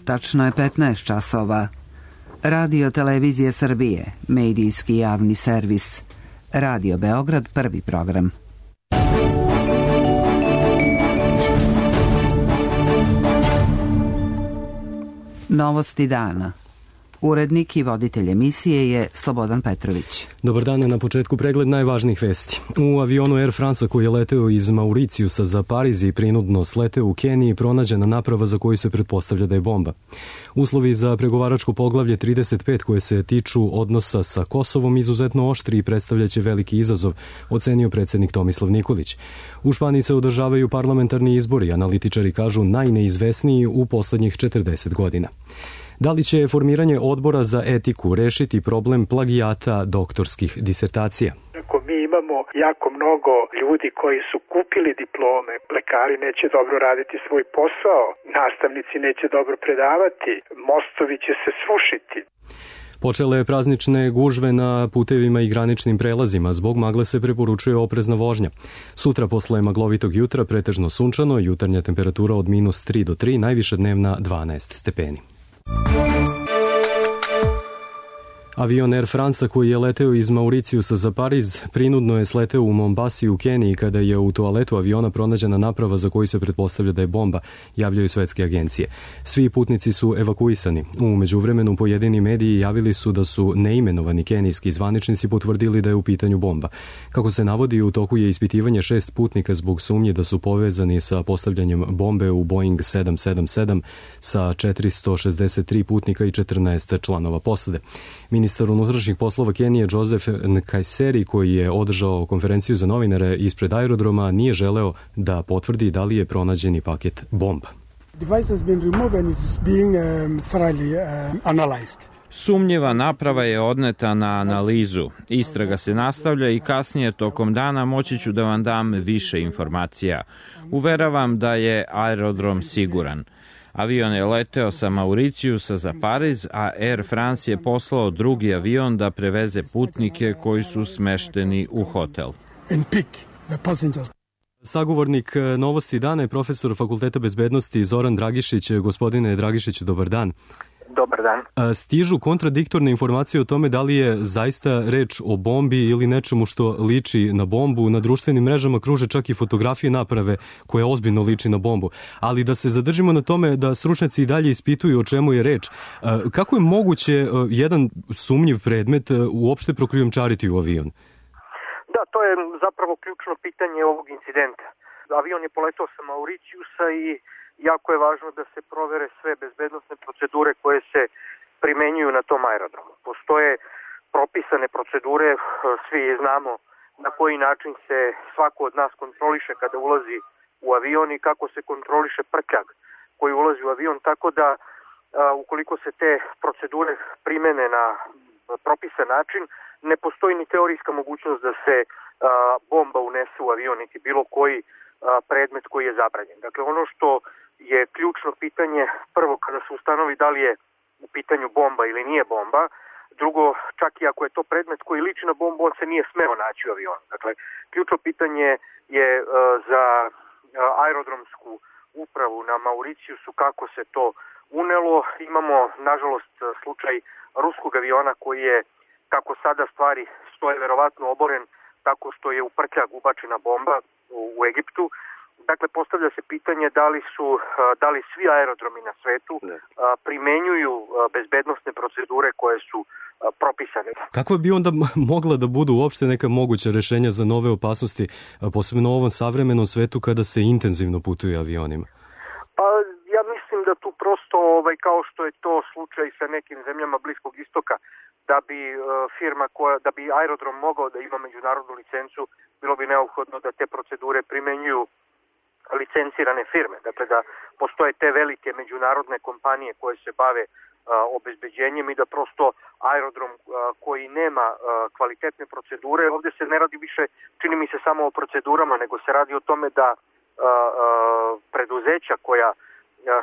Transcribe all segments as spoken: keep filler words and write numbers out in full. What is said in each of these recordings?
Tačno je petnaest časova. Radio Televizije Srbije, medijski javni servis. Radio Beograd, prvi program. Novosti dana. Urednik i voditelj emisije je Slobodan Petrović. Dobar dan, na početku pregled najvažnijih vesti. U avionu Air France koji je leteo iz Mauricijusa za Pariz i prinudno sleteo u Keniji pronađena naprava za koju se pretpostavlja da je bomba. Uslovi za pregovaračko poglavlje trideset pet koje se tiču odnosa sa Kosovom izuzetno oštri i predstavljaće veliki izazov, ocenio predsjednik Tomislav Nikolić. U Španiji se održavaju parlamentarni izbori, analitičari kažu najneizvesniji u poslednjih četrdeset godina. Da li će formiranje odbora za etiku rešiti problem plagijata doktorskih disertacija? Ako mi imamo jako mnogo ljudi koji su kupili diplome, lekari neće dobro raditi svoj posao, nastavnici neće dobro predavati, mostovi će se srušiti. Počele praznične gužve na putevima i graničnim prelazima, zbog magle se preporučuje oprezna vožnja. Sutra posle maglovitog jutra pretežno sunčano, jutarnja temperatura od minus tri do tri, najviša dnevna dvanaest stepeni. Avion Air France koji je leteo iz Mauricijusa za Pariz prinudno je sleteo u Mombasi u Keniji kada je u toaletu aviona pronađena naprava za koju se pretpostavlja da je bomba, javljaju svetske agencije. Svi putnici su evakuisani. U međuvremenu pojedini mediji javili su da su neimenovani kenijski zvaničnici potvrdili da je u pitanju bomba. Kako se navodi, u toku je ispitivanje šest putnika zbog sumnje da su povezani sa postavljanjem bombe u Boeing sedam sedam sedam sa četiristo šezdeset tri putnika i četrnaest članova posade. Ministar unutrašnjih poslova Kenije Joseph Nkaiseri, koji je održao konferenciju za novinare ispred aerodroma, nije želeo da potvrdi da li je pronađeni paket bomba. Sumnjiva naprava je odneta na analizu. Istraga se nastavlja i kasnije tokom dana moći ću da vam dam više informacija. Uveravam da je aerodrom siguran. Avion je leteo sa Mauricijusa za Pariz, a Air France je poslao drugi avion da preveze putnike koji su smešteni u hotel. Sagovornik Novosti dana je profesor Fakulteta bezbednosti Zoran Dragišić. Gospodine Dragišić, dobar dan. Dobar dan. Stižu kontradiktorne informacije o tome da li je zaista reč o bombi ili nečemu što liči na bombu. Na društvenim mrežama kruže čak i fotografije naprave koje ozbiljno liči na bombu. Ali da se zadržimo na tome da stručnjaci i dalje ispituju o čemu je reč. Kako je moguće jedan sumnjiv predmet uopšte prokrijumčariti u avion? Da, to je zapravo ključno pitanje ovog incidenta. Avion je poletao sa Mauricijusa i jako je važno da se provere sve bezbednosne procedure koje se primenjuju na tom aerodromu. Postoje propisane procedure, svi znamo na koji način se svako od nas kontroliše kada ulazi u avion i kako se kontroliše prtljag koji ulazi u avion, tako da a, ukoliko se te procedure primene na propisan način, ne postoji ni teorijska mogućnost da se a, bomba unese u avion, niti bilo koji a, predmet koji je zabranjen. Dakle, ono što je ključno pitanje, prvo kada se ustanovi da li je u pitanju bomba ili nije bomba, drugo, čak i ako je to predmet koji liči na bombu, on se nije smeo naći u avionu. Dakle, ključno pitanje je uh, za uh, aerodromsku upravu na Mauricijusu kako se to unelo. Imamo, nažalost, slučaj ruskog aviona koji je, kako sada stvari stoje, verovatno oboren tako što je u prtljag ubačena bomba u, u Egiptu. Dakle, postavlja se pitanje da li su, da li svi aerodromi na svetu ne. primenjuju bezbednosne procedure koje su propisane. Kako bi onda mogla da budu uopšte neka moguća rešenja za nove opasnosti, posebno u ovom savremenom svetu kada se intenzivno putuje avionima? Pa ja mislim da tu prosto, ovaj, kao što je to slučaj sa nekim zemljama Bliskog istoka, da bi uh, firma koja, da bi aerodrom mogao da ima međunarodnu licencu, bilo bi neophodno da te procedure primenjuju licencirane firme, dakle da postoje te velike međunarodne kompanije koje se bave a, obezbeđenjem i da prosto aerodrom a, koji nema a, kvalitetne procedure, ovdje se ne radi više, čini mi se, samo o procedurama, nego se radi o tome da a, a, preduzeća koja a,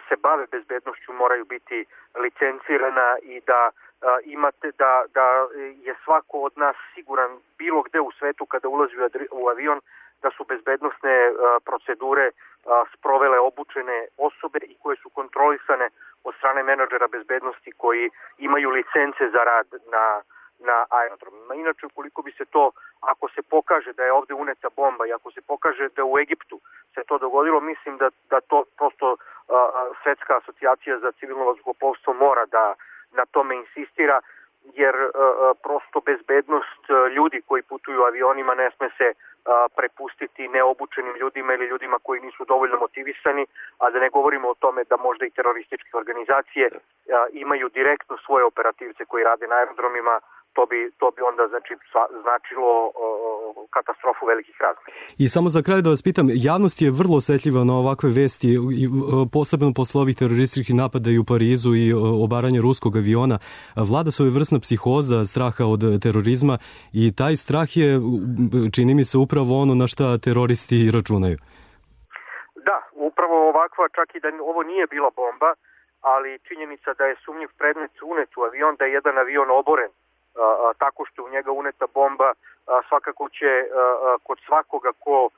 se bave bezbednošću moraju biti licencirana i da a, imate da, da je svako od nas siguran bilo gde u svetu kada ulazi u avion da su bezbednosne a, procedure a, sprovele obučene osobe i koje su kontrolisane od strane menadžera bezbednosti koji imaju licence za rad na, na aerodromima. Inače, ukoliko bi se to, ako se pokaže da je ovde uneta bomba i ako se pokaže da u Egiptu se to dogodilo, mislim da, da to prosto a, Svetska asocijacija za civilno vazduhoplovstvo mora da na tome insistira, jer a, prosto bezbednost ljudi koji putuju avionima ne sme se a, prepustiti neobučenim ljudima ili ljudima koji nisu dovoljno motivisani, a da ne govorimo o tome da možda i terorističke organizacije a, imaju direktno svoje operativce koji rade na aerodromima. To bi, to bi onda znači, značilo o, katastrofu velikih razmera. I samo za kraj da vas pitam, javnost je vrlo osetljiva na ovakve vesti, posebno posle ovih terorističkih napada i u Parizu i obaranje ruskog aviona. Vlada svojevrsna psihoza, straha od terorizma i taj strah je, čini mi se, upravo ono na šta teroristi računaju. Da, upravo ovakva, čak i da ovo nije bila bomba, ali činjenica da je sumnjiv predmet unet u avion, da je jedan avion oboren A, a, tako što u njega uneta bomba, a, svakako će a, a, kod svakoga ko a,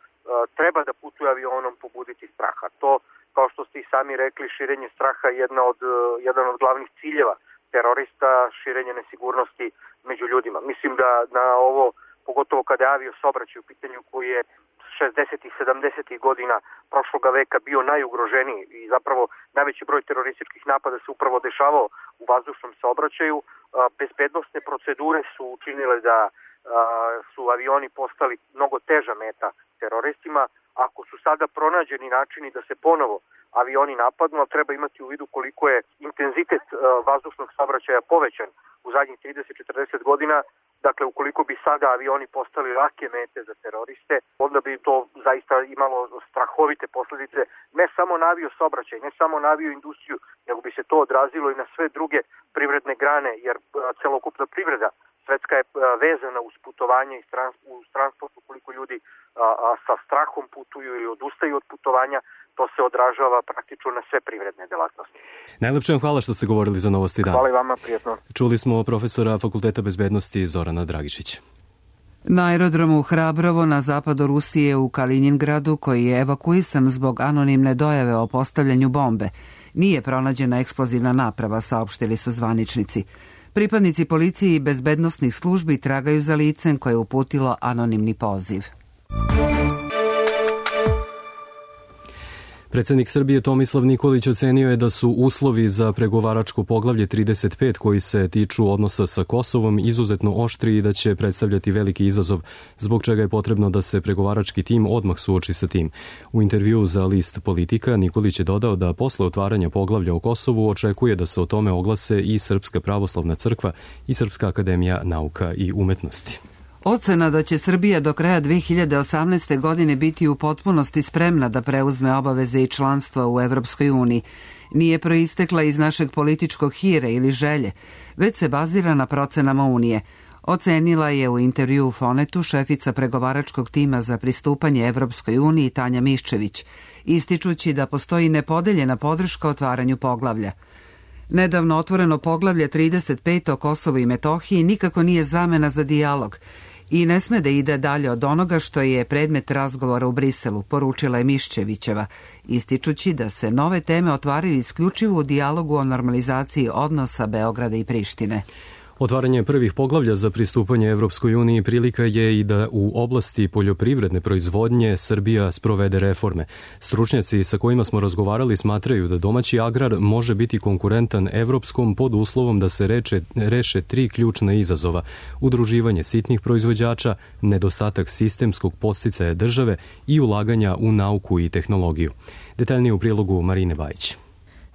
treba da putuje avionom pobuditi straha. To, kao što ste i sami rekli, širenje straha je jedna od, a, jedan od glavnih ciljeva terorista, širenje nesigurnosti među ljudima. Mislim da na ovo, pogotovo kada je avio saobraćaj u pitanju koji je šezdesetih i sedamdesetih godina prošloga veka bio najugroženiji i zapravo najveći broj terorističkih napada se upravo dešavao u vazdušnom saobraćaju. Bezbednosne procedure su učinile da su avioni postali mnogo teža meta teroristima. Ako su sada pronađeni načini da se ponovo avioni napadnu, ali treba imati u vidu koliko je intenzitet vazdušnog saobraćaja povećan u zadnjih trideset do četrdeset godina. Dakle, ukoliko bi sada avioni postali lake mete za teroriste, onda bi to zaista imalo strahovite posledice, ne samo na avio saobraćaj, ne samo na avio industriju, nego bi se to odrazilo i na sve druge privredne grane, jer celokupna privreda svetska je vezana uz putovanje i uz transport. Ukoliko ljudi a, a, sa strahom putuju ili odustaju od putovanja, to se odražava praktično na sve privredne delatnosti. Najlepše vam hvala što ste govorili za Novosti dana. Hvala i vama, prijetno. Čuli smo profesora Fakulteta bezbednosti Zorana Dragišića. Na aerodromu Hrabrovo na zapadu Rusije u Kaliningradu, koji je evakuisan zbog anonimne dojave o postavljanju bombe, nije pronađena eksplozivna naprava, saopštili su zvaničnici. Pripadnici policije i bezbednosnih službi tragaju za licem koje je uputilo anonimni poziv. Predsjednik Srbije Tomislav Nikolić ocenio je da su uslovi za pregovaračko poglavlje trideset pet koji se tiču odnosa sa Kosovom izuzetno oštri i da će predstavljati veliki izazov, zbog čega je potrebno da se pregovarački tim odmah suoči sa tim. U intervjuu za list Politika Nikolić je dodao da posle otvaranja poglavlja o Kosovu očekuje da se o tome oglase i Srpska pravoslavna crkva i Srpska akademija nauka i umetnosti. Ocena da će Srbija do kraja dve hiljade osamnaeste. godine biti u potpunosti spremna da preuzme obaveze i članstva u Evropskoj uniji nije proistekla iz našeg političkog hira ili želje, već se bazira na procenama Unije. Ocenila je u intervjuu Fonetu šefica pregovaračkog tima za pristupanje Evropskoj uniji Tanja Miščević, ističući da postoji nepodeljena podrška otvaranju poglavlja. Nedavno otvoreno poglavlje trideset pet o Kosovu i Metohiji nikako nije zamena za dijalog i ne sme da ide dalje od onoga što je predmet razgovora u Briselu, poručila je Miščevićeva, ističući da se nove teme otvaraju isključivo u dijalogu o normalizaciji odnosa Beograda i Prištine. Otvaranje prvih poglavlja za pristupanje Evropskoj uniji prilika je i da u oblasti poljoprivredne proizvodnje Srbija sprovede reforme. Stručnjaci sa kojima smo razgovarali smatraju da domaći agrar može biti konkurentan evropskom pod uslovom da se reče, reše tri ključna izazova: udruživanje sitnih proizvođača, nedostatak sistemskog podsticaja države i ulaganja u nauku i tehnologiju. Detaljnije u prilogu Marine Bajić.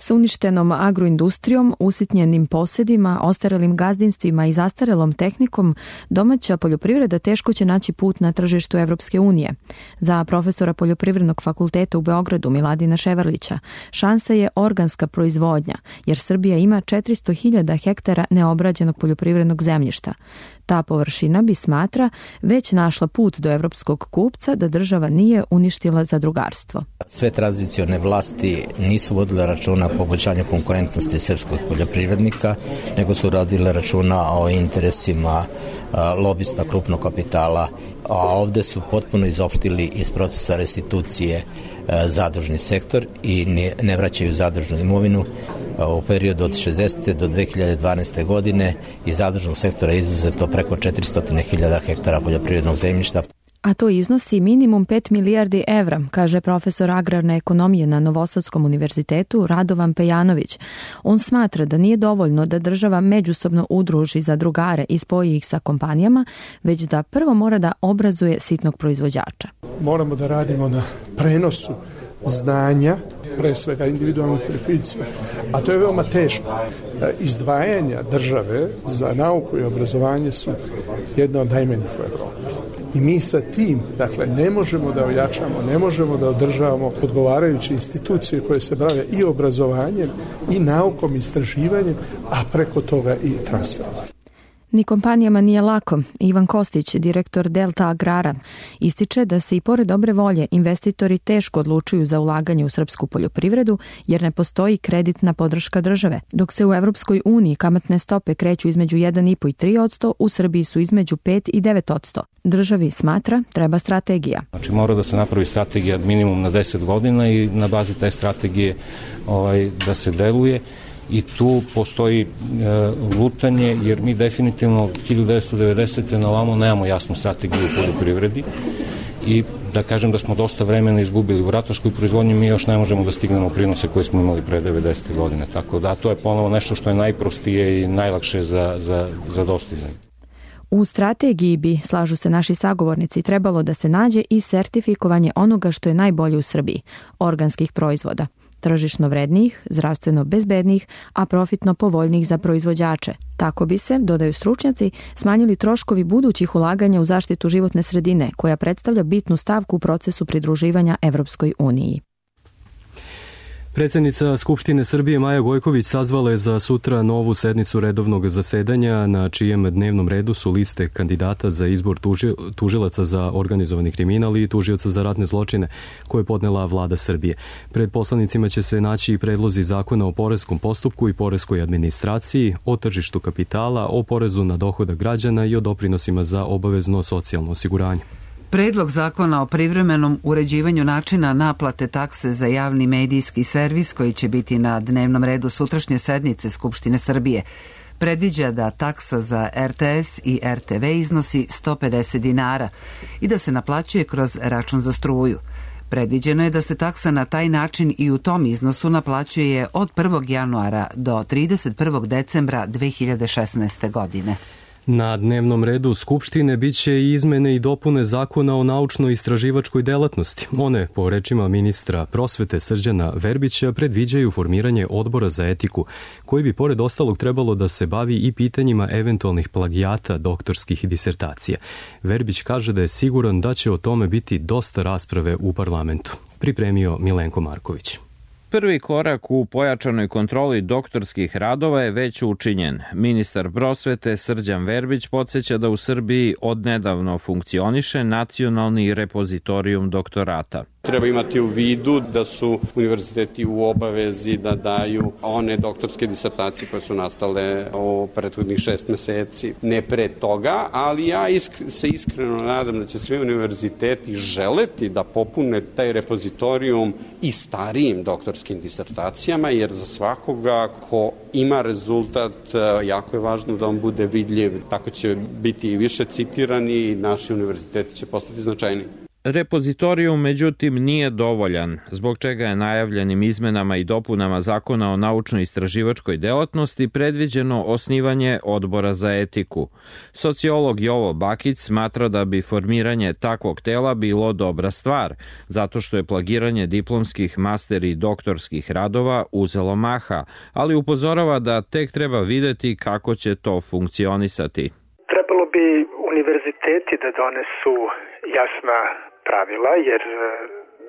Sa uništenom agroindustrijom, usitnjenim posjedima, ostarelim gazdinstvima i zastarelom tehnikom, domaća poljoprivreda teško će naći put na tržištu Evropske unije. Za profesora Poljoprivrednog fakulteta u Beogradu Miladina Ševarlića, šansa je organska proizvodnja, jer Srbija ima četiristo hiljada hektara neobrađenog poljoprivrednog zemljišta. Ta površina bi, smatra, već našla put do evropskog kupca da država nije uništila zadrugarstvo. Sve tranzicione vlasti nisu vodile računa o poboljšanju konkurentnosti srpskog poljoprivrednika, nego su radile računa o interesima lobista krupnog kapitala, a ovde su potpuno izopštili iz procesa restitucije zadružni sektor i ne, ne vraćaju zadružnu imovinu. u periodu od šezdeset. do dve hiljade dvanaeste. godine iz zadružnog sektora izuzeto preko četiristo hiljada hektara poljoprivrednog zemljišta. A to iznosi minimum pet milijardi evra, kaže profesor agrarne ekonomije na Novosadskom univerzitetu Radovan Pejanović. On smatra da nije dovoljno da država međusobno udruži zadrugare i spoji ih sa kompanijama, već da prvo mora da obrazuje sitnog proizvođača. Moramo da radimo na prenosu znanja, pre svega individualnih poljoprivrednika, a to je veoma teško. Izdvajanja države za nauku i obrazovanje su jedna od najmanjih u Evropi. I mi sa tim, dakle, ne možemo da ojačamo, ne možemo da održavamo odgovarajuće institucije koje se bave i obrazovanjem, i naukom, i istraživanjem, a preko toga i transferom. Ni kompanijama nije lako. Ivan Kostić, direktor Delta Agrara, ističe da se i pored dobre volje investitori teško odlučuju za ulaganje u srpsku poljoprivredu jer ne postoji kreditna podrška države. Dok se u Evropskoj uniji kamatne stope kreću između jedan i po i tri posto, u Srbiji su između pet i devet posto. Državi smatra treba strategija. Znači mora da se napravi strategija minimum na deset godina i na bazi te strategije ovaj, da se deluje. I tu postoji e, lutanje, jer mi definitivno hiljadu devetsto devedesete na ovamo nemamo jasnu strategiju u poljoprivredi i da kažem da smo dosta vremena izgubili u ratarskoj proizvodnji, mi još ne možemo da stignemo prinose koje smo imali pre devedesete godine. Tako da to je ponovo nešto što je najprostije i najlakše za, za, za dostizanje. U strategiji bi, slažu se naši sagovornici, trebalo da se nađe i sertifikovanje onoga što je najbolje u Srbiji, organskih proizvoda. Tržišno vrednijih, zdravstveno bezbednijih, a profitno povoljnijih za proizvođače. Tako bi se, dodaju stručnjaci, smanjili troškovi budućih ulaganja u zaštitu životne sredine, koja predstavlja bitnu stavku u procesu pridruživanja Evropskoj uniji. Predsjednica Skupštine Srbije Maja Gojković sazvala je za sutra novu sednicu redovnog zasedanja na čijem dnevnom redu su liste kandidata za izbor tuži, tužilaca za organizovani kriminal i tužioca za ratne zločine koje je podnela vlada Srbije. Pred poslanicima će se naći i predlozi zakona o poreskom postupku i poreskoj administraciji, o tržištu kapitala, o porezu na dohodak građana i o doprinosima za obavezno socijalno osiguranje. Predlog zakona o privremenom uređivanju načina naplate takse za javni medijski servis koji će biti na dnevnom redu sutrašnje sednice Skupštine Srbije predviđa da taksa za er te es i er te ve iznosi sto pedeset dinara i da se naplaćuje kroz račun za struju. Predviđeno je da se taksa na taj način i u tom iznosu naplaćuje od prvog januara do trideset prvog decembra dve hiljade šesnaeste. godine. Na dnevnom redu Skupštine biće i izmene i dopune zakona o naučno-istraživačkoj delatnosti. One, po rečima ministra prosvete Srđana Verbića, predviđaju formiranje odbora za etiku, koji bi pored ostalog trebalo da se bavi i pitanjima eventualnih plagijata doktorskih disertacija. Verbić kaže da je siguran da će o tome biti dosta rasprave u parlamentu. Pripremio Milenko Marković. Prvi korak u pojačanoj kontroli doktorskih radova je već učinjen. Ministar prosvete Srđan Verbić podsjeća da u Srbiji odnedavno funkcioniše nacionalni repozitorijum doktorata. Treba imati u vidu da su univerziteti u obavezi da daju one doktorske disertacije koje su nastale u prethodnih šest meseci, ne pre toga, ali ja isk se iskreno nadam da će svi univerziteti želeti da popune taj repozitorijum i starijim doktorskim disertacijama, jer za svakoga ko ima rezultat, jako je važno da on bude vidljiv, tako će biti i više citirani i naši univerziteti će postati značajni. Repozitorijum, međutim, nije dovoljan, zbog čega je najavljenim izmenama i dopunama zakona o naučno-istraživačkoj delatnosti predviđeno osnivanje odbora za etiku. Sociolog Jovo Bakić smatra da bi formiranje takvog tela bilo dobra stvar, zato što je plagiranje diplomskih, master i doktorskih radova uzelo maha, ali upozorava da tek treba videti kako će to funkcionisati. Trebalo bi univerziteti da donesu jasna pravila, jer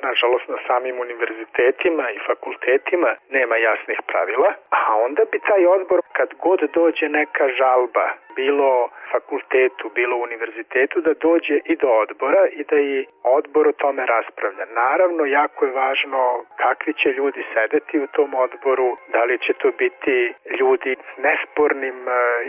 nažalost na samim univerzitetima i fakultetima nema jasnih pravila, a onda bi taj odbor, kad god dođe neka žalba, bilo fakultetu, bilo univerzitetu, da dođe i do odbora i da i odbor o tome raspravlja. Naravno, jako je važno kakvi će ljudi sedeti u tom odboru, da li će to biti ljudi s nespornim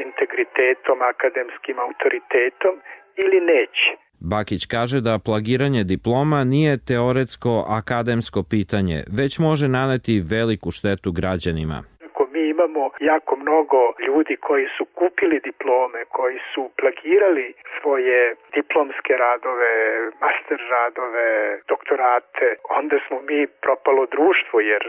integritetom, akademskim autoritetom ili neće. Bakić kaže da plagiranje diploma nije teoretsko akademsko pitanje, već može naneti veliku štetu građanima. Ako mi imamo jako mnogo ljudi koji su kupili diplome, koji su plagirali svoje diplomske radove, master radove, doktorate, onda smo mi propalo društvo, jer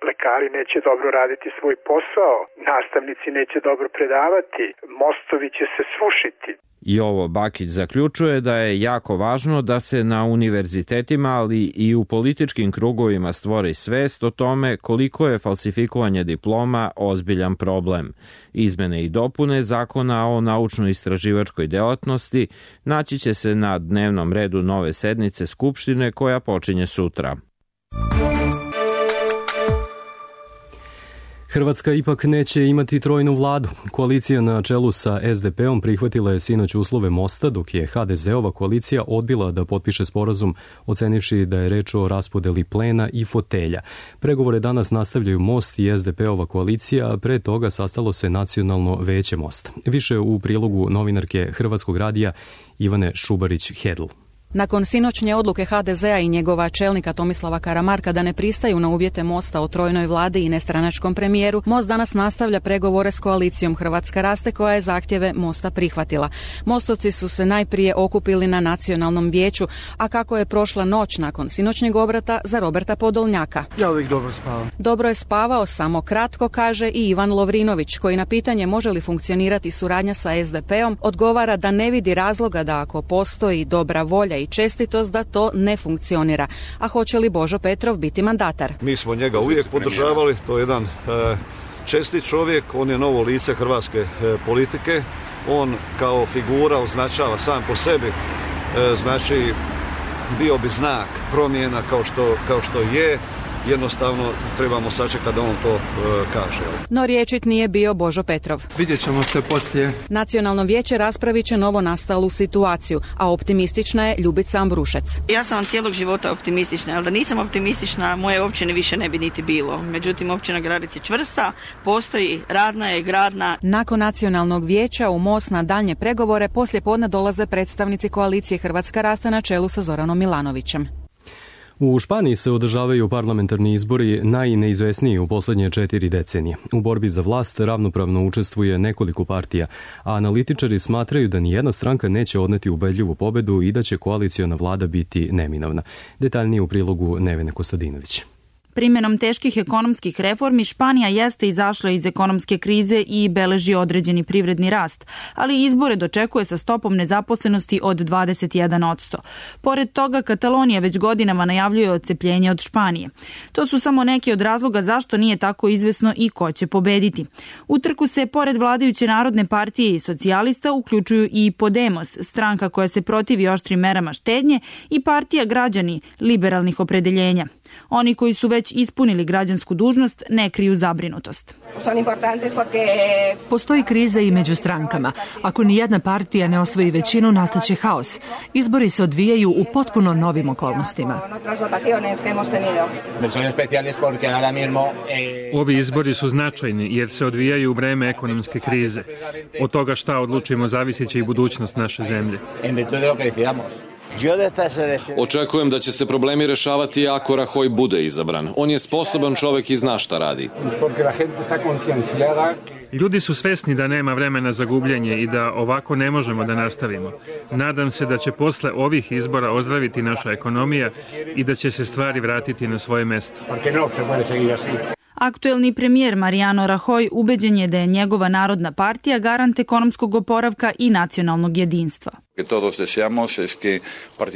lekari neće dobro raditi svoj posao, nastavnici neće dobro predavati, mostovi će se srušiti. Jovo Bakić zaključuje da je jako važno da se na univerzitetima, ali i u političkim krugovima stvori svest o tome koliko je falsifikovanje diploma ozbiljan problem. Izmene i dopune Zakona o naučno-istraživačkoj delatnosti naći će se na dnevnom redu nove sednice Skupštine koja počinje sutra. Hrvatska ipak neće imati trojnu vladu. Koalicija na čelu sa es de pe-om prihvatila je sinoć uslove mosta, dok je ha de ze-ova koalicija odbila da potpiše sporazum, ocenivši da je reč o raspodeli plena i fotelja. Pregovore danas nastavljaju Most i es de pe-ova koalicija, a pre toga sastalo se Nacionalno veće Mosta. Više u prilogu novinarke Hrvatskog radija Ivane Šubarić-Hedl. Nakon sinoćnje odluke ha de ze-a i njegova čelnika Tomislava Karamarka da ne pristaju na uvjete Mosta o trojnoj vladi i nestranačkom premijeru, Most danas nastavlja pregovore s koalicijom Hrvatska raste koja je zahtjeve Mosta prihvatila. Mostovci su se najprije okupili na Nacionalnom vijeću, a kako je prošla noć nakon sinoćnjeg obrata za Roberta Podolnjaka? Ja uvijek dobro spavam. Dobro je spavao, samo kratko, kaže i Ivan Lovrinović, koji na pitanje može li funkcionirati suradnja sa es de pe-om odgovara da ne vidi razloga da ako postoji dobra volja i čestitost da to ne funkcionira. A hoće li Božo Petrov biti mandatar? Mi smo njega uvijek podržavali, to je jedan e, čestit čovjek, on je novo lice hrvatske e, politike, on kao figura označava sam po sebi, e, znači bio bi znak promjena kao što, kao što je. Jednostavno trebamo sačekati da on to e, kaže. No riječit nije bio Božo Petrov. Vidjet ćemo se poslije. Nacionalno vijeće raspravit će novo nastalu situaciju, a optimistična je Ljubica Ambrušec. Ja sam vam cijelog života optimistična, ali da nisam optimistična, moje općine više ne bi niti bilo. Međutim, općina Gradec je čvrsta, postoji, radna je, gradna. Nakon Nacionalnog vijeća u Most na daljnje pregovore poslije podne dolaze predstavnici koalicije Hrvatska raste na čelu sa Zoranom Milanovićem. U Španiji se održavaju parlamentarni izbori najneizvesniji u posljednje četiri decenije. U borbi za vlast ravnopravno učestvuje nekoliko partija, a analitičari smatraju da nijedna stranka neće odneti ubedljivu pobedu i da će koaliciona vlada biti neminovna. Detaljnije u prilogu Nevene Kostadinović. Primjenom teških ekonomskih reformi Španija jeste izašla iz ekonomske krize i beleži određeni privredni rast, ali izbore dočekuje sa stopom nezaposlenosti od dvadeset jedan posto. Pored toga, Katalonija već godinama najavljuje odcepljenje od Španije. To su samo neki od razloga zašto nije tako izvesno i ko će pobediti. U trku se, pored vladajuće Narodne partije i socijalista, uključuju i Podemos, stranka koja se protivi oštrim merama štednje, i partija Građani liberalnih opredeljenja. Oni koji su već ispunili građansku dužnost ne kriju zabrinutost. Postoji kriza i među strankama. Ako ni jedna partija ne osvoji većinu, nastaće haos. Izbori se odvijaju u potpuno novim okolnostima. Ovi izbori su značajni jer se odvijaju u vreme ekonomske krize. Od toga šta odlučimo zavisit će i budućnost naše zemlje. Očekujem da će se problemi rešavati ako Rajoy bude izabran. On je sposoban čovjek i zna šta radi. Ljudi su svesni da nema vremena za gubljenje i da ovako ne možemo da nastavimo. Nadam se da će posle ovih izbora ozdraviti naša ekonomija i da će se stvari vratiti na svoje mesto. Aktuelni premijer Mariano Rajoy ubeđen je da je njegova Narodna partija garant ekonomskog oporavka i nacionalnog jedinstva.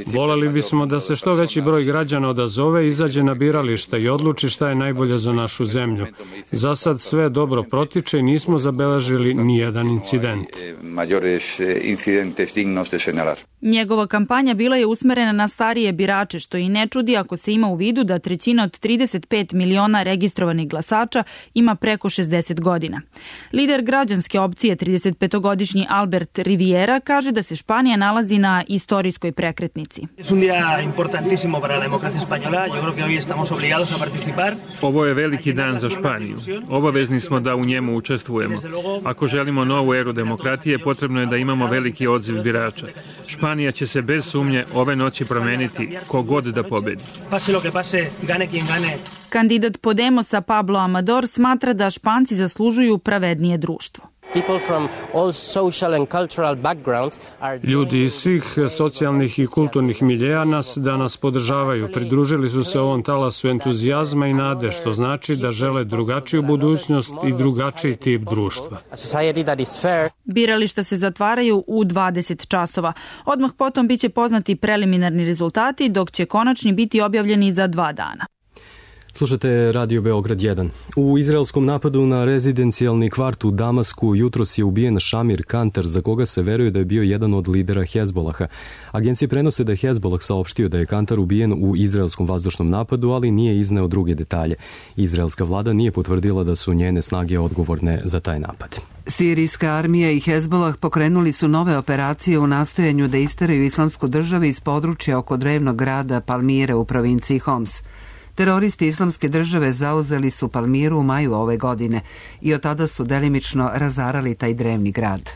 Voleli bismo da se što veći broj građana odazove, izađe na birališta i odluči šta je najbolje za našu zemlju. Za sad sve dobro protiče i nismo zabeležili ni jedan incident. Njegova kampanja bila je usmerena na starije birače, što i ne čudi ako se ima u vidu da trećina od trideset pet miliona registrovanih glasača ima preko šezdeset godina. Lider građanske opcije, tridesetpetogodišnji Albert Riviera, kaže da se Španija Španija nalazi na istorijskoj prekretnici. Ovo je veliki dan za Španiju. Obavezni smo da u njemu učestvujemo. Ako želimo novu eru demokratije, potrebno je da imamo veliki odziv birača. Španija će se bez sumnje ove noći promeniti kogod da pobedi. Kandidat Podemosa Pablo Amador smatra da Španci zaslužuju pravednije društvo. Ljudi iz svih socijalnih i kulturnih miljeja nas danas podržavaju. Pridružili su se ovom talasu entuzijazma i nade, što znači da žele drugačiju budućnost i drugačiji tip društva. Birališta se zatvaraju u dvadeset časova. Odmah potom biće poznati preliminarni rezultati, dok će konačni biti objavljeni za dva dana. Slušate Radio Beograd jedan. U izraelskom napadu na rezidencijalni kvart u Damasku jutros je ubijen Šamir Kantar, za koga se veruje da je bio jedan od lidera Hezbolaha. Agencije prenose da je Hezbolah saopštio da je Kantar ubijen u izraelskom vazdušnom napadu, ali nije izneo druge detalje. Izraelska vlada nije potvrdila da su njene snage odgovorne za taj napad. Sirijska armija i Hezbolah pokrenuli su nove operacije u nastojanju da isteraju islamsku državu iz područja oko drevnog grada Palmire u provinciji Homs. Teroristi islamske države zauzeli su Palmiru u maju ove godine i od tada su delimično razarali taj drevni grad.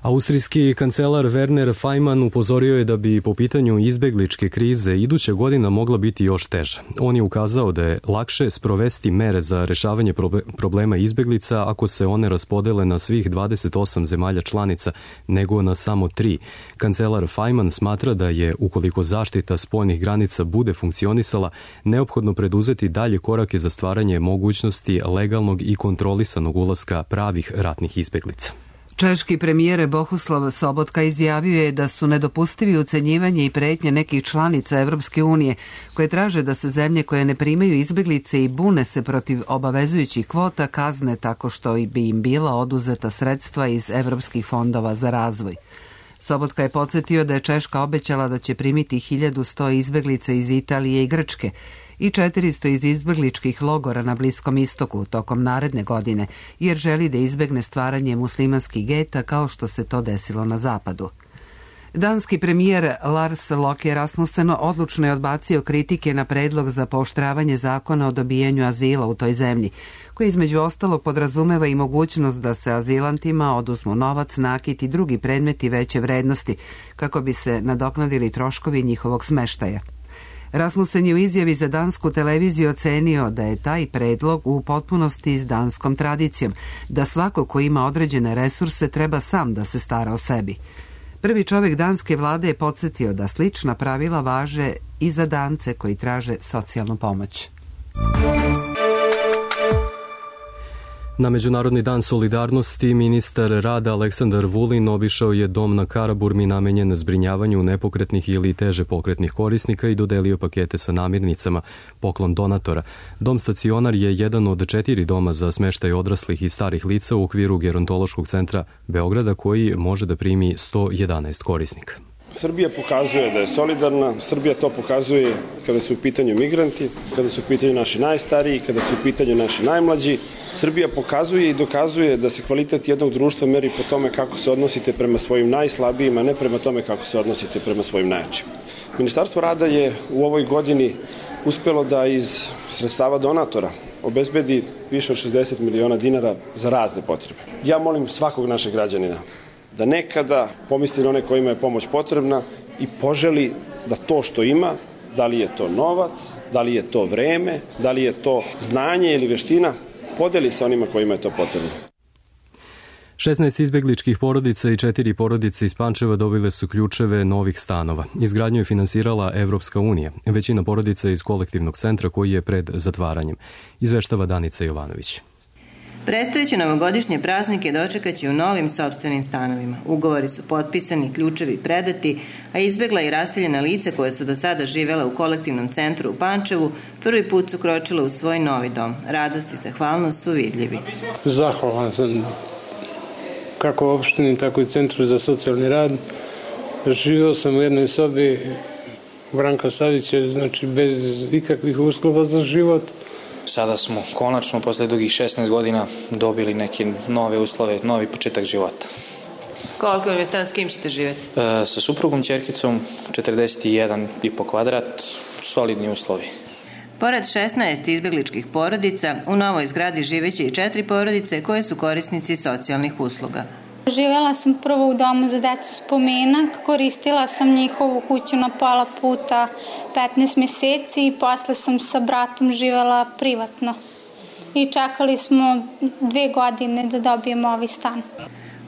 Austrijski kancelar Werner Faymann upozorio je da bi po pitanju izbegličke krize iduća godina mogla biti još teža. On je ukazao da je lakše sprovesti mere za rešavanje problema izbeglica ako se one raspodele na svih dvadeset osam zemalja članica nego na samo tri. Kancelar Faymann smatra da je, ukoliko zaštita spoljnih granica bude funkcionisala, neophodno preduzeti dalje korake za stvaranje mogućnosti legalnog i kontrolisanog ulaska pravih ratnih izbeglica. Češki premijer Bohuslav Sobotka izjavio je da su nedopustivi ucenjivanje i pretnje nekih članica Evropske unije koje traže da se zemlje koje ne primaju izbeglice i bune se protiv obavezujućih kvota kazne tako što bi im bila oduzeta sredstva iz evropskih fondova za razvoj. Sobotka je podsjetio da je Češka obećala da će primiti hiljadu sto izbeglica iz Italije i Grčke i četiristo iz izbegličkih logora na Bliskom istoku tokom naredne godine, jer želi da izbegne stvaranje muslimanskih geta kao što se to desilo na zapadu. Danski premijer Lars Løkke Rasmussen odlučno je odbacio kritike na predlog za pooštravanje zakona o dobijanju azila u toj zemlji, koji između ostalog podrazumeva i mogućnost da se azilantima oduzmu novac, nakit i drugi predmeti veće vrednosti, kako bi se nadoknadili troškovi njihovog smeštaja. Rasmussen je u izjavi za dansku televiziju ocenio da je taj predlog u potpunosti s danskom tradicijom, da svako ko ima određene resurse treba sam da se stara o sebi. Prvi čovjek danske vlade je podsjetio da slična pravila važe i za Dance koji traže socijalnu pomoć. Na Međunarodni dan solidarnosti ministar rada Aleksandar Vulin obišao je dom na Karaburmi namenjen zbrinjavanju nepokretnih ili teže pokretnih korisnika i dodelio pakete sa namirnicama, poklon donatora. Dom stacionar je jedan od četiri doma za smeštaj odraslih i starih lica u okviru Gerontološkog centra Beograda koji može da primi sto jedanaest korisnika. Srbija pokazuje da je solidarna, Srbija to pokazuje kada su u pitanju migranti, kada su u pitanju naši najstariji, kada su u pitanju naši najmlađi. Srbija pokazuje i dokazuje da se kvalitet jednog društva meri po tome kako se odnosite prema svojim najslabijima, ne prema tome kako se odnosite prema svojim najjačim. Ministarstvo rada je u ovoj godini uspelo da iz sredstava donatora obezbedi više od šezdeset miliona dinara za razne potrebe. Ja molim svakog našeg građanina da nekada pomisli na one kojima je pomoć potrebna i poželi da to što ima, da li je to novac, da li je to vreme, da li je to znanje ili veština, podeli sa onima kojima je to potrebno. šesnaest izbegličkih porodica i četiri porodice iz Pančeva dobile su ključeve novih stanova. Izgradnju je finansirala Evropska unija, većina porodica iz kolektivnog centra koji je pred zatvaranjem. Izveštava Danica Jovanović. Predstojeće novogodišnje praznike dočekaće u novim sopstvenim stanovima. Ugovori su potpisani, ključevi predati, a izbegla i raseljena lica koje su do sada živela u kolektivnom centru u Pančevu prvi put su kročila u svoj novi dom. Radost i zahvalnost su vidljivi. Zahvalan sam kako opštini, tako i Centru za socijalni rad. Živio sam u jednoj sobi Branka Savića, znači bez ikakvih uslova za život. Sada smo konačno posle dugih šesnaest godina dobili neke nove uslove, novi početak života. Koliki je stan, s kim ćete živjeti? E, sa suprugom, ćerkicom, četrdeset jedan i po kvadrat, solidni uslovi. Pored šesnaest izbegličkih porodica, u novoj zgradi živeće i četiri porodice koje su korisnici socijalnih usluga. Živjela sam prvo u domu za decu Spomenak, koristila sam njihovu kuću na pola puta petnaest mjeseci i posle sam sa bratom živjela privatno. I čekali smo dve godine da dobijemo ovaj stan.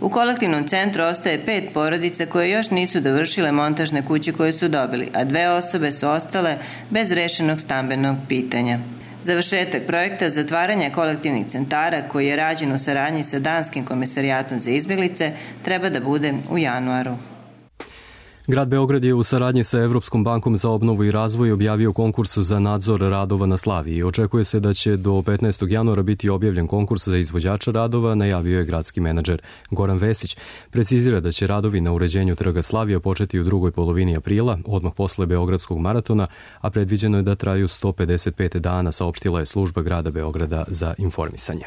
U kolektivnom centru ostaje pet porodica koje još nisu dovršile montažne kuće koje su dobili, a dve osobe su ostale bez rešenog stambenog pitanja. Završetak projekta zatvaranja kolektivnih centara, koji je rađen u saradnji sa Danskim komesarijatom za izbjeglice, treba da bude u januaru. Grad Beograd je u saradnji sa Evropskom bankom za obnovu i razvoj objavio konkurs za nadzor radova na Slaviji. Očekuje se da će do petnaestog januara biti objavljen konkurs za izvođača radova, najavio je gradski menadžer Goran Vesić. Precizira da će radovi na uređenju trga Slavija početi u drugoj polovini aprila, odmah posle Beogradskog maratona, a predviđeno je da traju sto pedeset pet dana, saopštila je služba grada Beograda za informisanje.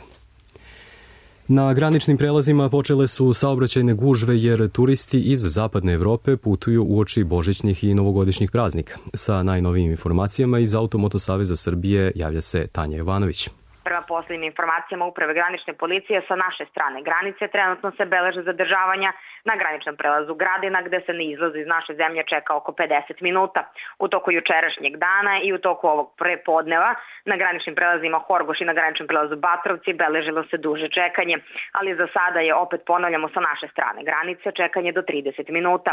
Na graničnim prelazima počele su saobraćajne gužve jer turisti iz zapadne Evrope putuju uoči božićnih i novogodišnjih praznika. Sa najnovijim informacijama iz Automoto Saveza Srbije javlja se Tanja Jovanović. Prema posljednjim informacijama Uprave granične policije sa naše strane granice trenutno se beleže zadržavanja na graničnom prelazu Gradina, gde se na izlaz iz naše zemlje čeka oko pedeset minuta. U toku jučerašnjeg dana i u toku ovog prepodneva na graničnim prelazima Horgoš i na graničnom prelazu Batrovci beležilo se duže čekanje, ali za sada je, opet ponavljamo, sa naše strane granice čekanje do trideset minuta.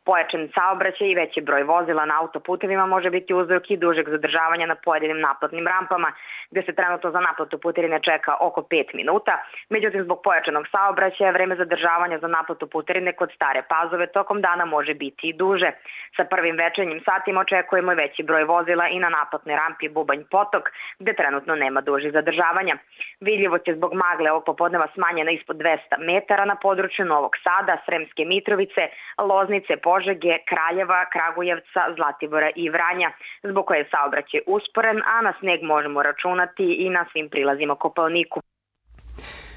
Pojačan saobraćaj i veći broj vozila na autoputevima može biti uzrok i dužeg zadržavanja na pojedinim naplatnim rampama, gde se trenutno za naplatu putarine čeka oko pet minuta. Međutim, zbog pojačanog saobraćaja vreme zadržavanja za naplatu putarine kod Stare Pazove tokom dana može biti i duže. Sa prvim večernjim satima očekujemo i veći broj vozila i na naplatnoj rampi Bubanj Potok, gde trenutno nema dužih zadržavanja. Vidljivost je zbog magle ovog popodneva smanjena ispod dvesta metara na području Novog Sada, Sremske Mitrovice, Loznice, Požege, Kraljeva, Kragujevca, Zlatibora i Vranja, zbog koje je saobraćaj usporen, a na sneg možemo računati i na svim prilazima Kopaoniku.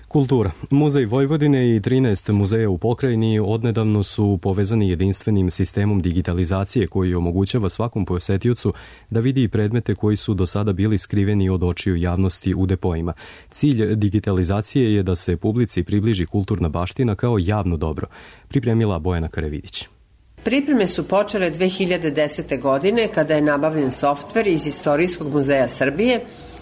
Kultura. Muzej Vojvodine i trinaest muzeja u pokrajini odnedavno su povezani jedinstvenim sistemom digitalizacije koji omogućava svakom posetiocu da vidi predmete koji su do sada bili skriveni od očiju javnosti u depoima. Cilj digitalizacije je da se publici približi kulturna baština kao javno dobro, pripremila Bojana Karevidić. Pripreme su počele dve hiljade desete. godine kada je nabavljen softver iz Istorijskog muzeja Srbije,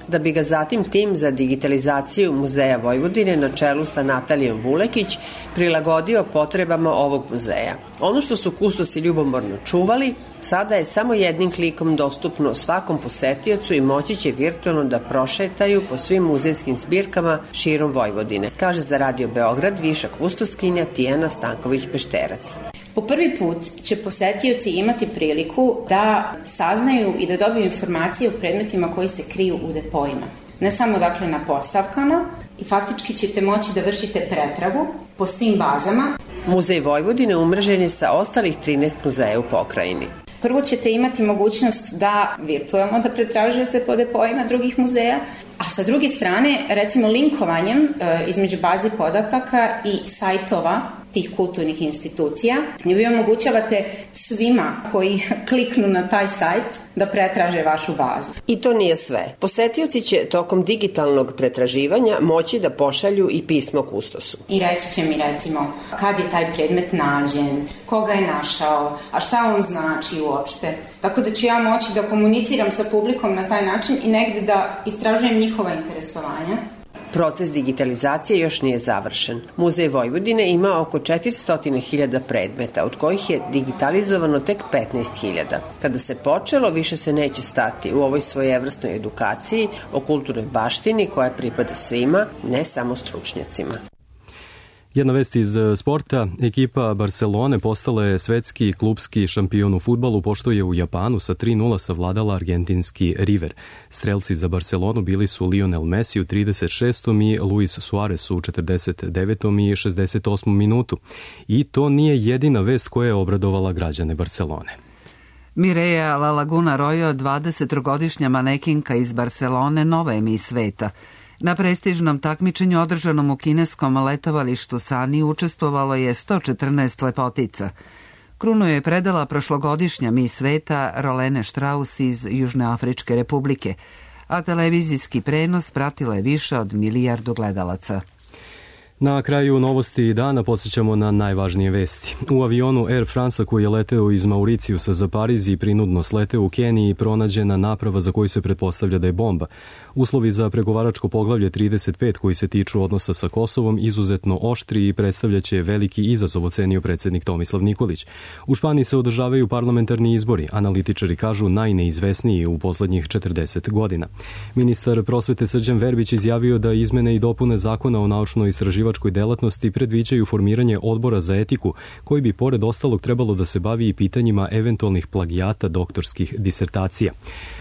da bi ga zatim tim za digitalizaciju Muzeja Vojvodine na čelu sa Natalijom Vulekić prilagodio potrebama ovog muzeja. Ono što su kustosi ljubomorno čuvali, sada je samo jednim klikom dostupno svakom posetiocu i moći će virtualno da prošetaju po svim muzejskim zbirkama širom Vojvodine, kaže za Radio Beograd viša kustoskinja Tijana Stanković-Pešterac. Po prvi put će posetioci imati priliku da saznaju i da dobiju informacije o predmetima koji se kriju u depoima. Ne samo dakle na postavkama, i faktički ćete moći da vršite pretragu po svim bazama. Muzej Vojvodine umrežen je sa ostalih trinaest muzeja u pokrajini. Prvo ćete imati mogućnost da virtualno da pretražujete po depoima drugih muzeja, a sa druge strane, recimo linkovanjem e, između bazi podataka i sajtova tih kulturnih institucija, vi omogućavate svima koji kliknu na taj sajt da pretraže vašu bazu. I to nije sve. Posetioci će tokom digitalnog pretraživanja moći da pošalju i pismo kustosu. I reći će mi recimo kad je taj predmet nađen, koga je našao, a šta on znači uopšte. Tako da ću ja moći da komuniciram sa publikom na taj način i negde da istražujem njihova interesovanja. Proces digitalizacije još nije završen. Muzej Vojvodine ima oko četiristo hiljada predmeta, od kojih je digitalizovano tek petnaest hiljada. Kada se počelo, više se neće stati u ovoj svojevrsnoj edukaciji o kulturnoj baštini koja pripada svima, ne samo stručnjacima. Jedna vest iz sporta. Ekipa Barcelone postala je svetski klubski šampion u fudbalu, pošto je u Japanu sa tri nula savladala argentinski River. Strelci za Barcelonu bili su Lionel Messi u trideset šestom i Luis Suarez u četrdeset devetom i šezdeset osmom minutu. I to nije jedina vest koja je obradovala građane Barcelone. Mireia La Laguna Royo, dvadesettrogodišnja manekinka iz Barcelone, nova je mis sveta. Na prestižnom takmičenju održanom u kineskom letovalištu Sani učestvovalo je sto četrnaest lepotica. Krunu je predala prošlogodišnja mis sveta Rolene Strauss iz Južnoafričke republike, a televizijski prenos pratilo je više od milijardu gledalaca. Na kraju novosti dana podsjećamo na najvažnije vesti. U avionu Air France koji je leteo iz Mauricijusa za Pariz i prinudno sleteo u Keniji pronađena naprava za koju se pretpostavlja da je bomba. Uslovi za pregovaračko poglavlje trideset pet koji se tiču odnosa sa Kosovom izuzetno oštri i predstavljaće veliki izazov, ocenio predsjednik Tomislav Nikolić. U Španiji se održavaju parlamentarni izbori, analitičari kažu najneizvesniji u poslednjih četrdeset godina. Ministar prosvete Srđan Verbić izjavio da izmene i dopune zakona o naučno-istraživačkoj delatnosti predviđaju formiranje odbora za etiku koji bi pored ostalog trebalo da se bavi i pitanjima eventualnih plagijata doktorskih disertacija.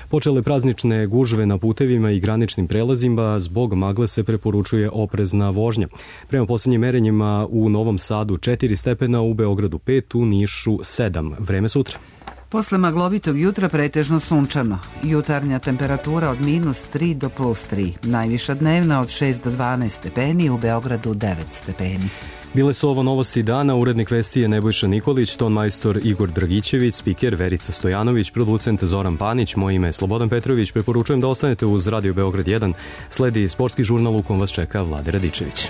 Počele praznične gužve na putevima i graničnim prelazima, zbog magle se preporučuje oprezna vožnja. Prema posljednjim merenjima u Novom Sadu četiri stepena, u Beogradu pet, u Nišu sedam. Vreme sutra. Posle maglovitog jutra pretežno sunčano. Jutarnja temperatura od minus tri do plus tri. Najviša dnevna od šest do dvanaest stepeni, u Beogradu devet stepeni. Bile su ovo novosti dana, urednik vesti je Nebojša Nikolić, ton majstor Igor Dragićević, spiker Verica Stojanović, producent Zoran Panić, moje ime je Slobodan Petrović. Preporučujem da ostanete uz Radio Beograd jedan. Sledi sportski žurnal u kom vas čeka Vlade Radičević.